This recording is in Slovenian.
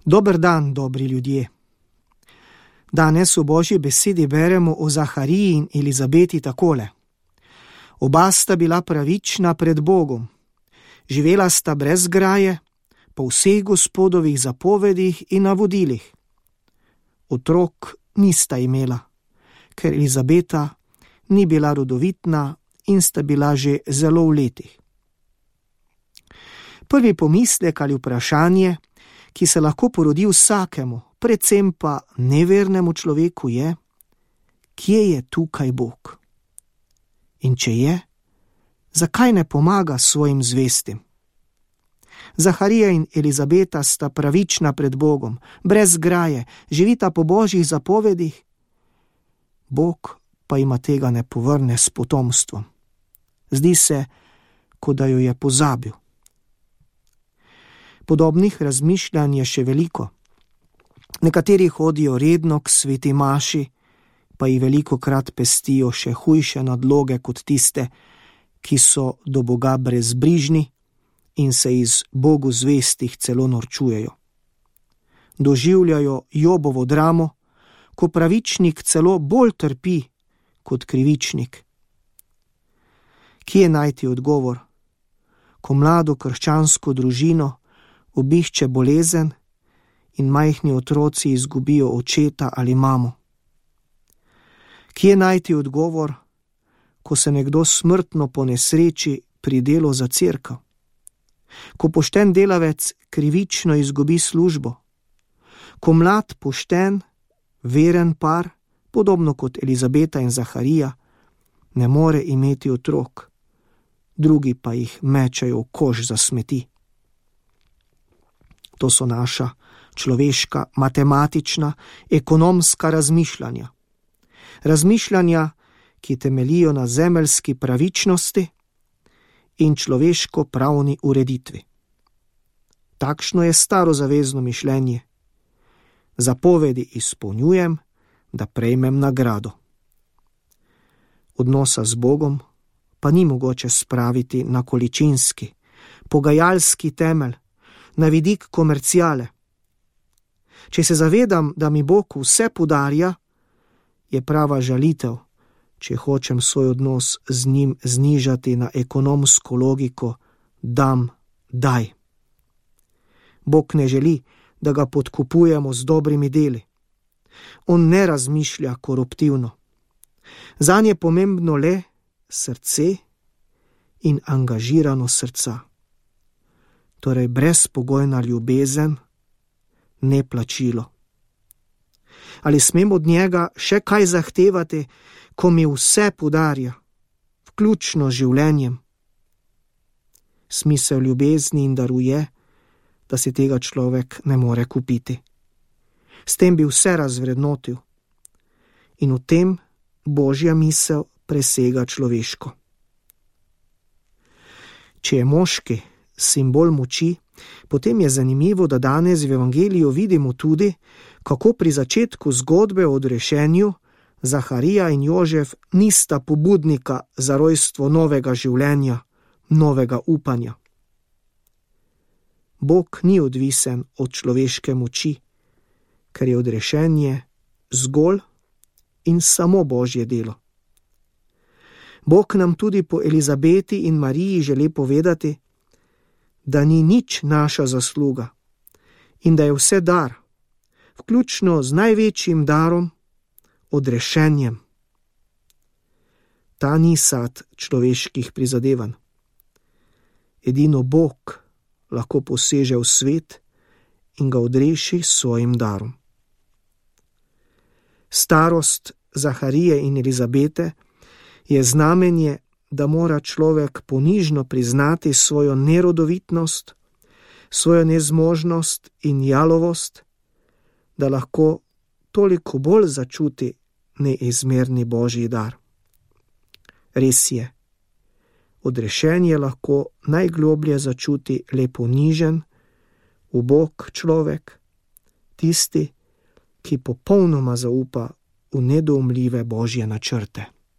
Dober dan, dobri ljudje. Danes v Božji besedi beremo o Zahariji in Elizabeti takole. Oba sta bila pravična pred Bogom. Živela sta brez graje, po vseh Gospodovih zapovedih in navodilih. Otrok nista imela, ker Elizabeta ni bila rodovitna in sta bila že zelo v letih. Prvi pomislek ali vprašanje, ki se lahko porodi vsakemu, predvsem pa nevernemu človeku je, kje je tukaj Bog? In če je, zakaj ne pomaga svojim zvestim? Zaharija in Elizabeta sta pravična pred Bogom, brez graje, živita po Božjih zapovedih. Bog pa ima tega ne povrne s potomstvom. Zdi se, kot da jo je pozabil. Podobnih razmišljanj je še veliko. Nekateri hodijo redno k sveti maši, pa jih velikokrat pestijo še hujše nadloge kot tiste, ki so do Boga brezbrižni in se iz Bogu zvestih celo norčujejo. Doživljajo Jobovo dramo, ko pravičnik celo bolj trpi kot krivičnik. Kje najti odgovor, ko mlado krščansko družino obišče bolezen in majhni otroci izgubijo očeta ali mamo? Kje najti odgovor, ko se nekdo smrtno ponesreči pri delu za cerkev? Ko pošten delavec krivično izgubi službo? Ko mlad, pošten, veren par, podobno kot Elizabeta in Zaharija, ne more imeti otrok, drugi pa jih mečejo v koš za smeti? To so naša človeška, matematična, ekonomska razmišljanja. Razmišljanja, ki temeljijo na zemeljski pravičnosti in človeško-pravni ureditvi. Takšno je starozavezno mišljenje. Zapovedi izpolnjujem, da prejmem nagrado. Odnosa z Bogom pa ni mogoče spraviti na količinski, pogajalski temelj, na vidik komerciale. Če se zavedam, da mi Bog vse podarja, je prava žalitev, če hočem svoj odnos z njim znižati na ekonomsko logiko dam, daj. Bog ne želi, da ga podkupujemo z dobrimi deli. On ne razmišlja koruptivno. Zanj je pomembno le srce in angažirano srca. Torej brezpogojna ljubezen, ne plačilo. Ali smem od njega še kaj zahtevati, ko mi vse podarja, vključno z življenjem? Smisel ljubezni in daru je, da si tega človek ne more kupiti. S tem bi vse razvrednotil. In v tem Božja misel presega človeško. Če je moški simbol moči, potem je zanimivo, da danes v evangeliju vidimo tudi, kako pri začetku zgodbe o odrešenju Zaharija in Jožef nista pobudnika za rojstvo novega življenja, novega upanja. Bog ni odvisen od človeške moči, ker je odrešenje zgolj in samo Božje delo. Bog nam tudi po Elizabeti in Mariji želi povedati, da ni nič naša zasluga in da je vse dar, vključno z največjim darom, odrešenjem. Ta ni sad človeških prizadevanj. Edino Bog lahko poseže v svet in ga odreši s svojim darom. Starost Zaharije in Elizabete je znamenje, da mora človek ponižno priznati svojo nerodovitnost, svojo nezmožnost in jalovost, da lahko toliko bolj začuti neizmerni Božji dar. Res je, odrešenje lahko najgloblje začuti le ponižen, ubog človek, tisti, ki popolnoma zaupa v nedoumljive Božje načrte.